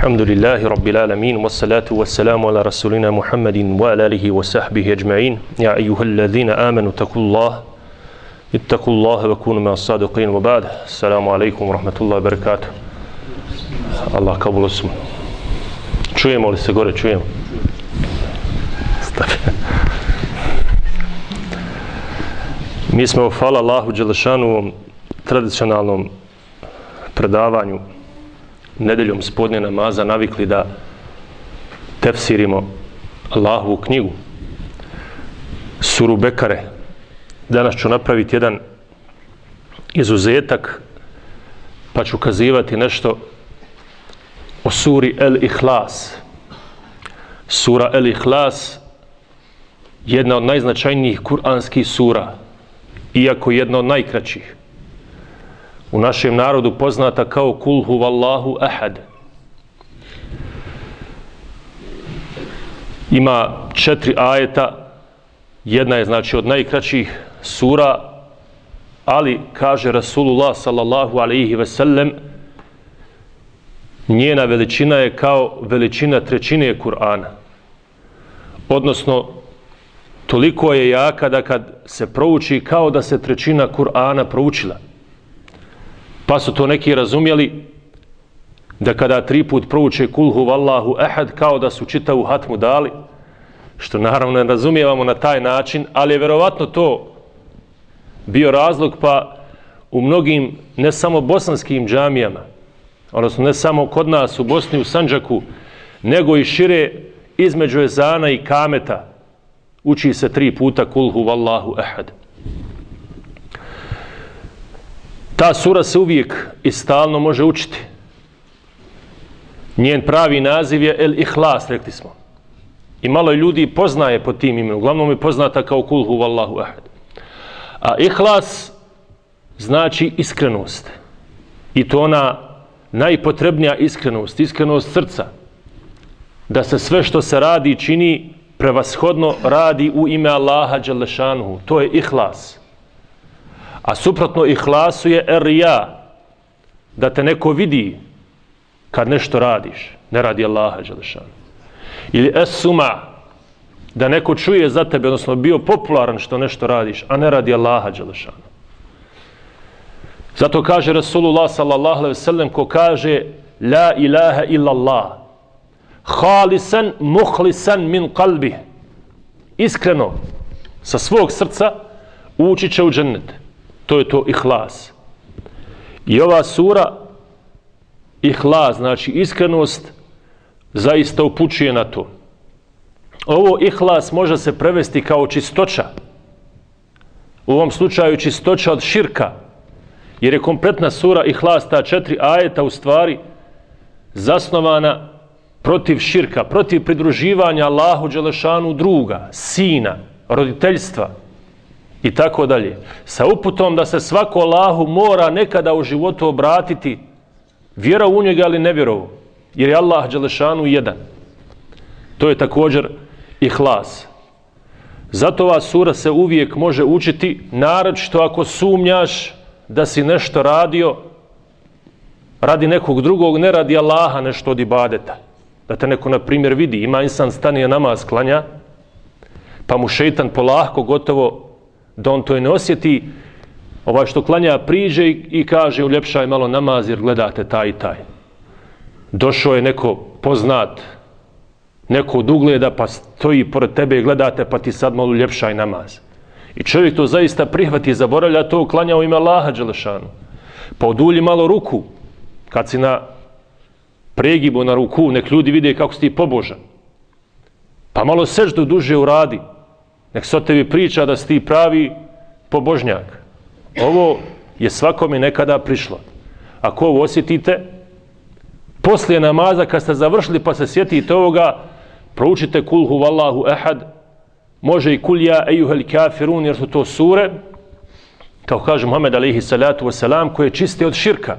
Alhamdulillahi Rabbil Alamin, wassalatu wassalamu ala rasulina Muhammadin wa ala alihi wa sahbihi ajma'in. Ya ayyuhalladhina amanu ittaqullaha wa kunu ma'as sadiqin wa ba'd. Assalamu alaikum wa rahmatullahi wa barakatuh. Allah kabul osmu. Čujemo li se gore? Čujemo. Mi smo, hvala Allahu Đelešanu, u ovom tradicionalnom predavanju nedeljom spodnje namaza navikli da tefsirimo Allahovu knjigu, suru Bekare. Danas ću napraviti jedan izuzetak, pa ću kazivati nešto o suri El-Ihlas. Sura El-Ihlas, jedna od najznačajnijih kuranskih sura, iako jedna od najkraćih. U našem narodu poznata kao Kul huvallahu ahad. Ima 4 ajeta, jedna je znači od najkraćih sura, ali kaže Rasulullah sallallahu alaihi ve sellem, njena veličina je kao veličina trećine Kur'ana. Odnosno, toliko je jaka da kad se prouči kao da se trećina Kur'ana proučila. Pa su to neki razumjeli da kada 3 put prouče Kul huvallahu ahad kao da su čitavu hatmu dali, što naravno ne razumijevamo na taj način, ali je verovatno to bio razlog, pa u mnogim ne samo bosanskim džamijama, odnosno ne samo kod nas u Bosni u Sandžaku, nego i šire između ezana i kameta uči se 3 puta Kul huvallahu ahad. Ta sura se uvijek i stalno može učiti. Njen pravi naziv je El-Ihlas, rekli smo. I malo ljudi poznaje pod tim imenom. Uglavnom je poznata kao Kul huvallahu ahad. A Ihlas znači iskrenost. I to ona najpotrebnija iskrenost, iskrenost srca. Da se sve što se radi i čini prevashodno radi u ime Allaha Đelešanuhu. To je Ihlas. A suprotno ihlasu je er-rija, da te neko vidi kad nešto radiš, ne radi Allaha Đelešanu. Ili es-suma, da neko čuje za tebe, odnosno bio popularan što nešto radiš, a ne radi Allaha Đelešanu. Zato kaže Rasulullah sallallahu alejhi ve sellem, ko kaže la ilaha illallah, halisan muhlisan min qalbi, iskreno sa svog srca ući će u džennet. To je to ihlas. I ova sura ihlas, znači iskrenost, zaista upućuje na to. Ovo ihlas može se prevesti kao čistoća. U ovom slučaju čistoća od širka, jer je kompletna sura ihlas, ta 4 ajeta u stvari zasnovana protiv širka, protiv pridruživanja Allahu Đelešanu druga, sina, roditeljstva i tako dalje. Sa uputom da se svako Allahu mora nekada u životu obratiti, vjera u njega ali ne vjerovo, jer je Allah Đelešanu jedan. To je također ihlas. Zato ova sura se uvijek može učiti, naročito ako sumnjaš da si nešto radio radi nekog drugog, ne radi Allaha, nešto od ibadeta. Da te neko, na primjer, vidi, ima insan stanije namaz klanja, pa mu šeitan polahko gotovo da on to i ne osjeti, ovaj što klanja priđe i kaže uljepšaj malo namaz jer gledate taj i taj. Došao je neko poznat, neko od ugleda, pa stoji pored tebe i gledate, pa ti sad malo uljepšaj namaz. I čovjek to zaista prihvati i zaboravlja to, klanja u ime Allaha Đelešanu. Pa odulji malo ruku, kad si na pregibu na ruku, nek ljudi vide kako si ti pobožan. Pa malo seždu duže uradi, nek se o tebi priča da si ti pravi pobožnjak. Ovo je svakome nekada prišlo. Ako ovo osjetite, poslije namaza kad ste završili pa se sjetite ovoga, proučite Kul huvallahu ahad, može i Kul ja ejuhel kafirun, jer su to sure, kao kaže Muhammed alejhi salatu wasalam, koje čiste od širka,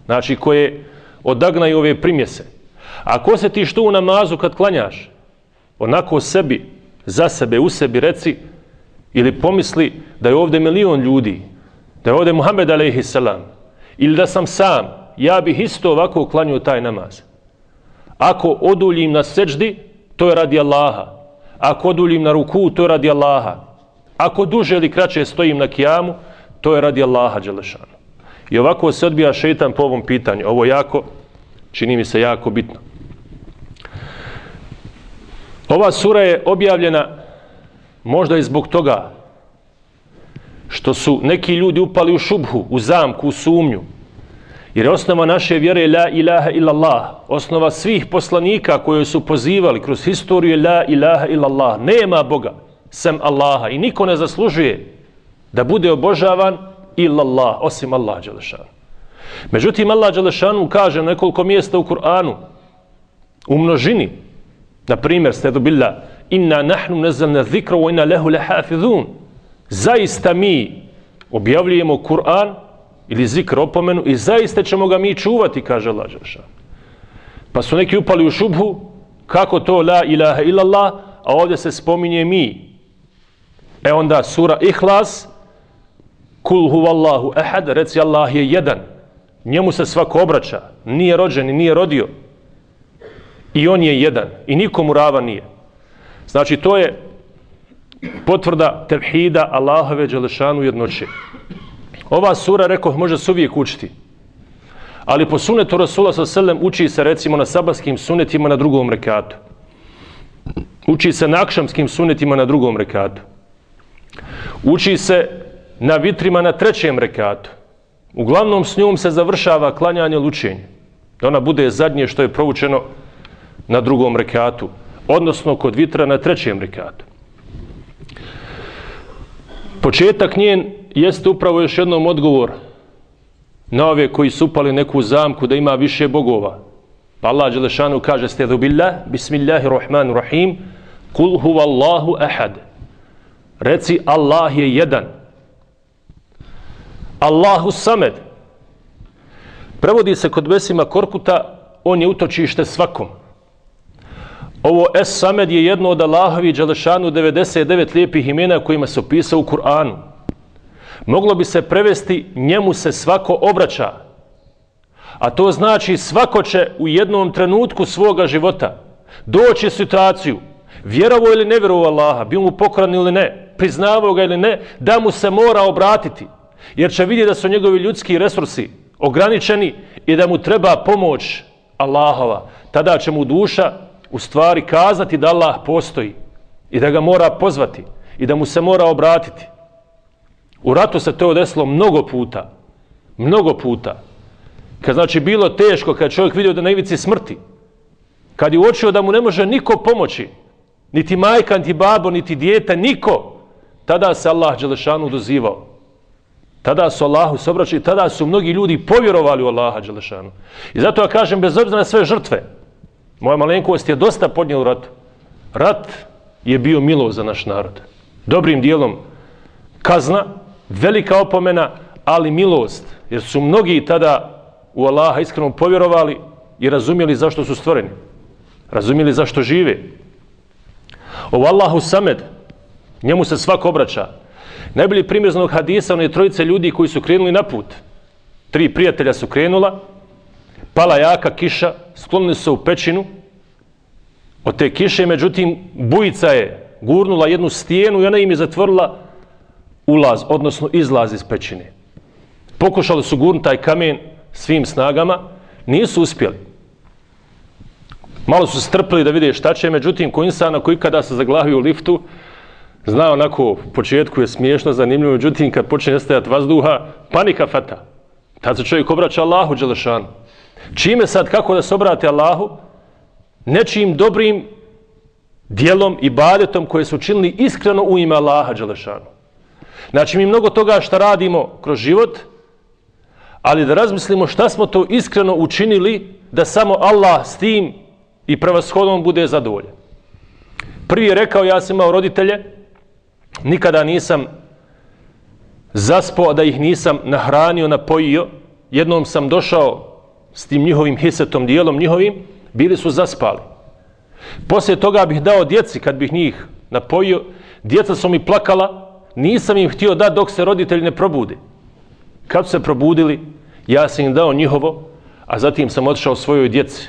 znači koje odagnaju ove primjese. Ako osjetiš to u namazu kad klanjaš, onako sebi, za sebe, u sebi reci, ili pomisli da je ovdje milion ljudi, da je ovdje Muhammed alejhi salam, ili da sam sam, ja bih isto ovako klanio taj namaz. Ako oduljim na seđdi, to je radi Allaha. Ako oduljim na ruku, to je radi Allaha. Ako duže ili kraće stojim na kijamu, to je radi Allaha dželešanu. I ovako se odbija šejtan po ovom pitanju. Ovo jako, čini mi se jako bitno. Ova sura je objavljena možda i zbog toga što su neki ljudi upali u šubhu, u zamku, u sumnju. Jer je osnova naše vjere la ilaha illallah. Osnova svih poslanika koje su pozivali kroz historiju je la ilaha illallah. Nema Boga sem Allaha i niko ne zaslužuje da bude obožavan illallah, osim Allah dželešanu. Međutim, Allah dželešanu kaže na nekoliko mjesta u Kur'anu, u množini, na primjer, stedu billah, inna nahnu nazzalna dhikra wa inna lahu lahafizun. Zaista mi objavljujemo Kur'an ili zikr, opomenu, i zaista ćemo ga mi čuvati, kaže Allah dželešanu. Pa su neki upali u šubhu, kako to la ilaha illallah, a ovdje se spominje mi. Onda sura Ihlas, kul huvallahu ahad, reci Allah je jedan. Njemu se svako obraća, nije rođen i nije rodio. I on je jedan i nikomu ravan nije. Znači to je potvrda tevhida Allahove dželešanu jednoće. Ova sura, rekoh, može se uvijek učiti. Ali po sunetu Rasula s.a.v. uči se recimo na sabatskim sunetima na drugom rekatu. Uči se na akšamskim sunetima na drugom rekatu. Uči se na vitrima na trećem rekatu. Uglavnom s njom se završava klanjanje lučenje. Da ona bude zadnje što je proučeno na drugom rekatu. Odnosno kod vitra na trećem rekatu. Početak njen jeste upravo još jednom odgovor na ove koji su upali neku zamku da ima više bogova. Pa Allah dželešanu kaže stedu billah, bismillahirrahmanirrahim, kul huvallahu ahad. Reci Allah je jedan. Allahu samed. Prevodi se kod Besima Korkuta, on je utočište svakom. Ovo Es-Samed je jedno od Allahovi dželešanu 99 lijepih imena kojima se opisao u Kur'anu. Moglo bi se prevesti njemu se svako obraća. A to znači svako će u jednom trenutku svoga života doći u situaciju, vjerovo ili ne vjerovo Allaha, bio mu pokoran ili ne, priznavao ga ili ne, da mu se mora obratiti. Jer će vidjeti da su njegovi ljudski resursi ograničeni i da mu treba pomoć Allahova. Tada će mu duša u stvari kazati da Allah postoji i da ga mora pozvati i da mu se mora obratiti. U ratu se to desilo mnogo puta. Mnogo puta. Kad znači bilo teško, kad čovjek vidio da na ivici smrti, kad je uočio da mu ne može niko pomoći, niti majka, niti babo, niti dijete, niko, tada se Allah dželešanu dozivao. Tada su Allahu se obraćali, tada su mnogi ljudi povjerovali u Allaha dželešanu. I zato ja kažem, bez obzira na sve žrtve, moja malenkost je dosta podnijela u ratu. Rat je bio milost za naš narod. Dobrim dijelom kazna, velika opomena, ali milost. Jer su mnogi tada u Allaha iskreno povjerovali i razumjeli zašto su stvoreni. Razumjeli zašto žive. Ovo Allahu samed, njemu se svako obraća. Najbolji primjer za onog hadisa, one trojice ljudi koji su krenuli na put. 3 prijatelja su krenula, pala jaka kiša, sklonili se u pećinu. Od te kiše, međutim, bujica je gurnula jednu stijenu i ona im je zatvorila ulaz, odnosno izlaz iz pećine. Pokušali su gurnuti taj kamen svim snagama, nisu uspjeli. Malo su strpili da vide šta će, međutim, ko insana koji kada se zaglavio u liftu, zna onako, u početku je smiješno, zanimljivo, međutim, kad počne nestajati vazduha, panika fata. Tad se čovjek obraća Allahu dželešanu. Čime sad, kako da se obrate Allahu? Nečijim dobrim dijelom i ibadetom koje su učinili iskreno u ime Allaha dželešanu. Znači, mi mnogo toga što radimo kroz život, ali da razmislimo šta smo to iskreno učinili da samo Allah s tim i prevashodom bude zadovoljen. Prvi je rekao, ja sam imao roditelje, nikada nisam zaspao da ih nisam nahranio, napojio. Jednom sam došao s tim njihovim hisetom, dijelom njihovim, bili su zaspali. Poslije toga bih dao djeci, kad bih njih napojio, djeca su mi plakala, nisam im htio dati dok se roditelji ne probude. Kad su se probudili, ja sam im dao njihovo, a zatim sam otišao svojoj djeci.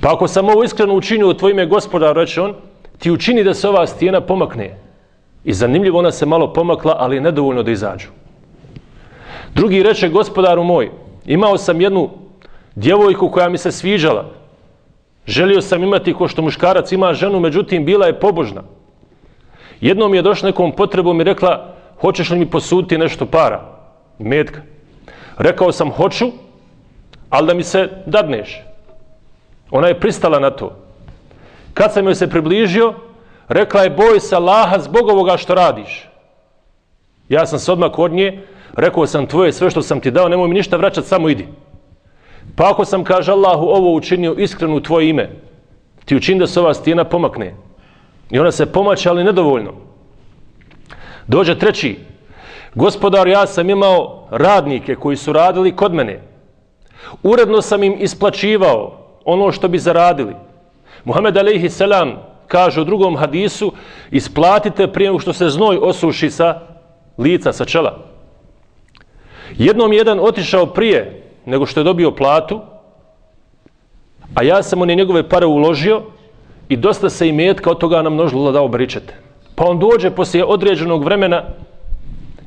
Pa ako sam ovo iskreno učinio u tvoje ime, Gospodaru, reče on, ti učini da se ova stijena pomakne. I zanimljivo, ona se malo pomakla, ali nedovoljno da izađu. Drugi reče, Gospodaru moj, imao sam jednu djevojku koja mi se sviđala. Želio sam imati ko što muškarac ima ženu, međutim bila je pobožna. Jednom je došla nekom potrebom i rekla, hoćeš li mi posuditi nešto para, metka? Rekao sam, hoću, ali da mi se dadneš. Ona je pristala na to. Kad sam joj se približio, rekla je, boj se Allaha zbog ovoga što radiš. Ja sam se odmah od nje, rekao sam, tvoje sve što sam ti dao, nemoj mi ništa vraćati, samo idi. Pa ako sam, kaže Allahu, ovo učinio iskreno u tvoje ime, ti učini da se ova stijena pomakne. I ona se pomače, ali nedovoljno. Dođe treći. Gospodar, ja sam imao radnike koji su radili kod mene. Uredno sam im isplaćivao ono što bi zaradili. Muhammed alejhi selam kaže u drugom hadisu, isplatite prije nego što se znoj osuši sa lica, sa čela. Jednom jedan otišao prije nego što je dobio platu, a ja sam one njegove pare uložio i dosta se imetka od toga namnožilo da dao bričete. Pa on dođe poslije određenog vremena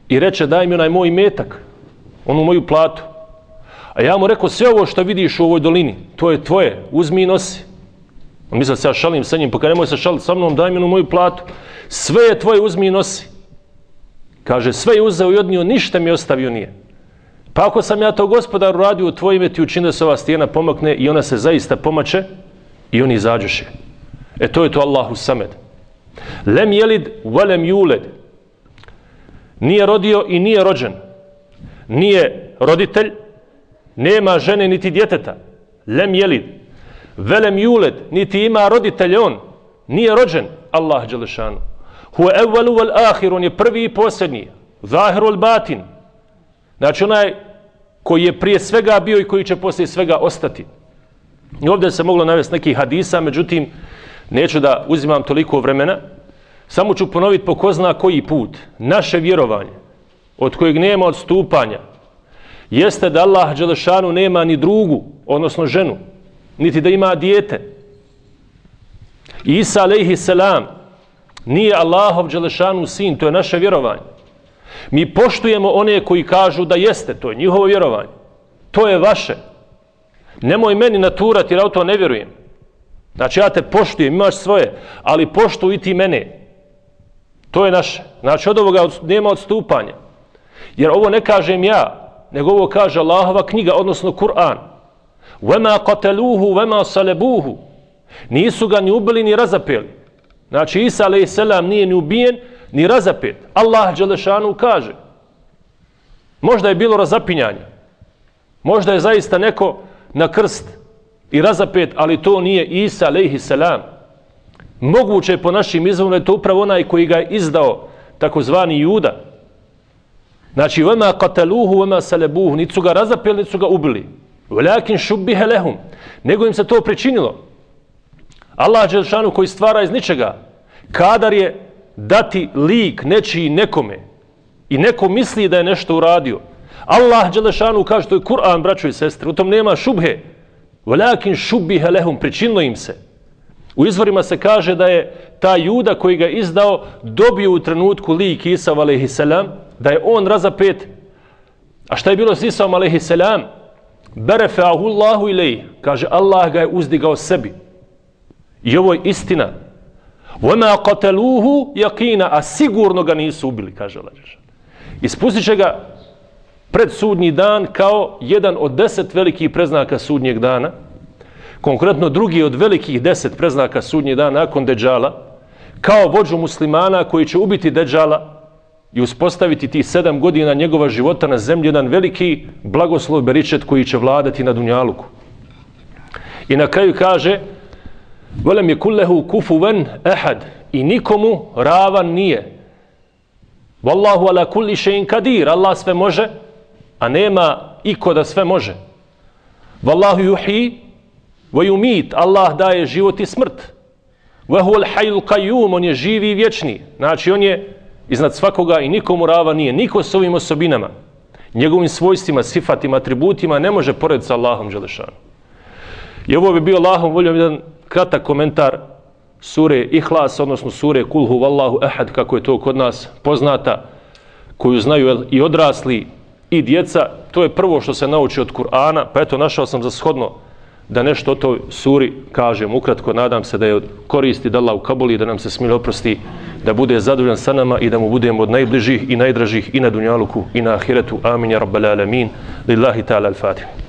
i reče, daj mi onaj moj imetak, onu moju platu. A ja mu rekao, sve ovo što vidiš u ovoj dolini, to je tvoje, uzmi i nosi. On misle se ja šalim sa njim, pa nemoj se šaliti sa mnom, daj mi onu moju platu. Sve je tvoje, uzmi i nosi. Kaže, sve je uzeo i odnio, ništa mi ostavio nije. Pa ako sam ja to, Gospodaru, radio u tvoje ime, ti učini da se ova stijena pomakne i ona se zaista pomače i oni izađuše. To je to Allahu samed. Lem jelid, velem juled. Nije rodio i nije rođen. Nije roditelj, nema žene niti djeteta. Lem jelid. Velem juled, niti ima roditelj on. Nije rođen. Allah dželešanu. Huwa evvelu vel ahir, on je prvi i posljednji. Zahiru al batin. Znači onaj koji je prije svega bio i koji će poslije svega ostati. I ovdje se moglo navesti neki hadisa, međutim, neću da uzimam toliko vremena. Samo ću ponoviti po ko zna koji put. Naše vjerovanje, od kojeg nema odstupanja, jeste da Allah dželešanu nema ni drugu, odnosno ženu, niti da ima dijete. Isa alejhi selam nije Allahov dželešanu sin, to je naše vjerovanje. Mi poštujemo one koji kažu da jeste, to je njihovo vjerovanje. To je vaše. Nemoj meni naturati jer ja u to ne vjerujem. Znači ja te poštujem, imaš svoje, ali poštuj i ti mene. To je naše. Znači od ovoga nema odstupanja. Jer ovo ne kažem ja, nego ovo kaže Allahova knjiga, odnosno Kur'an. وَمَا قَتَلُوهُ وَمَا صَلَبُوهُ. Nisu ga ni ubili ni razapeli. Znači Isa alejhi selam nije ni ubijen ni razapet. Allah dželešanu kaže. Možda je bilo razapinjanja. Možda je zaista neko na krst i razapet, ali to nije Isa alejhi selam. Moguće je po našim izvorima, je to upravo onaj koji ga je izdao, takozvani Juda. Znači, وَمَا قَتَلُوهُ وَمَا سَلَبُوهُ. Nisu ga razapeli, nisu ga ubili. وَلَكِنْ شُبِّهَ لَهُمْ. Nego im se to pričinilo. Allah dželešanu koji stvara iz ničega, kadar je dati lik nečiji nekome i neko misli da je nešto uradio. Allah dželešanu kaže, to je Kur'an, braćo i sestre, u tom nema šubhe. وَلَكِنْ شُبِّهَ لَهُمْ. Pričinilo im se. U izvorima se kaže da je ta Juda koji ga izdao dobio u trenutku lik Isa alejhi selam, da je on razapet. A šta je bilo s Isa alejhi selam? Berefa'ahu Allahu ilejh. Kaže, Allah ga je uzdigao sebi. I ovo je istina. وَمَا قَتَلُوهُ يَقِينَ. A sigurno ga nisu ubili, kaže Allah. Ispustit će ga pred sudnji dan kao jedan od 10 velikih preznaka sudnjeg dana. Konkretno drugi od velikih 10 preznaka sudnjeg dana nakon Deđala, kao vođu muslimana koji će ubiti Deđala i uspostaviti tih 7 godina njegova života na zemlji, jedan veliki blagoslov beričet koji će vladati na dunjaluku. I na kraju kaže, وَلَمْ يَكُنْ لَهُ كُفُوًا أَحَدٌ. I nikomu ravan nije. وَاللَّهُ عَلَى كُلِّ شَيْءٍ قَدِيرٌ. Allah sve može, a nema iko da sve može. وَاللَّهُ يُحْيِي وَيُمِيتُ. Allah daje život i smrt. وَهُوَ الْحَيُّ الْقَيُّومُ. On je živi i vječni. Znači on je iznad svakoga i nikomu ravan nije. Niko s ovim osobinama, njegovim svojstvima, sifatima, atributima ne može porediti sa Allahom dželešanu. I ovo bi bio Allahom voljom jedan kratak komentar sure Ihlas, odnosno sure Kul huvallahu ehad, kako je to kod nas poznata, koju znaju i odrasli i djeca. To je prvo što se nauči od Kur'ana, pa eto našao sam za shodno da nešto o toj suri kažem ukratko. Nadam se da je koristi, da Allah ukabuli, da nam se smilo oprosti, da bude zadovoljan sa nama i da mu budemo od najbližih i najdražih i na dunjaluku i na ahiretu. Amin ja rabbal alamin. Lillahi ta'ala al-Fatiha.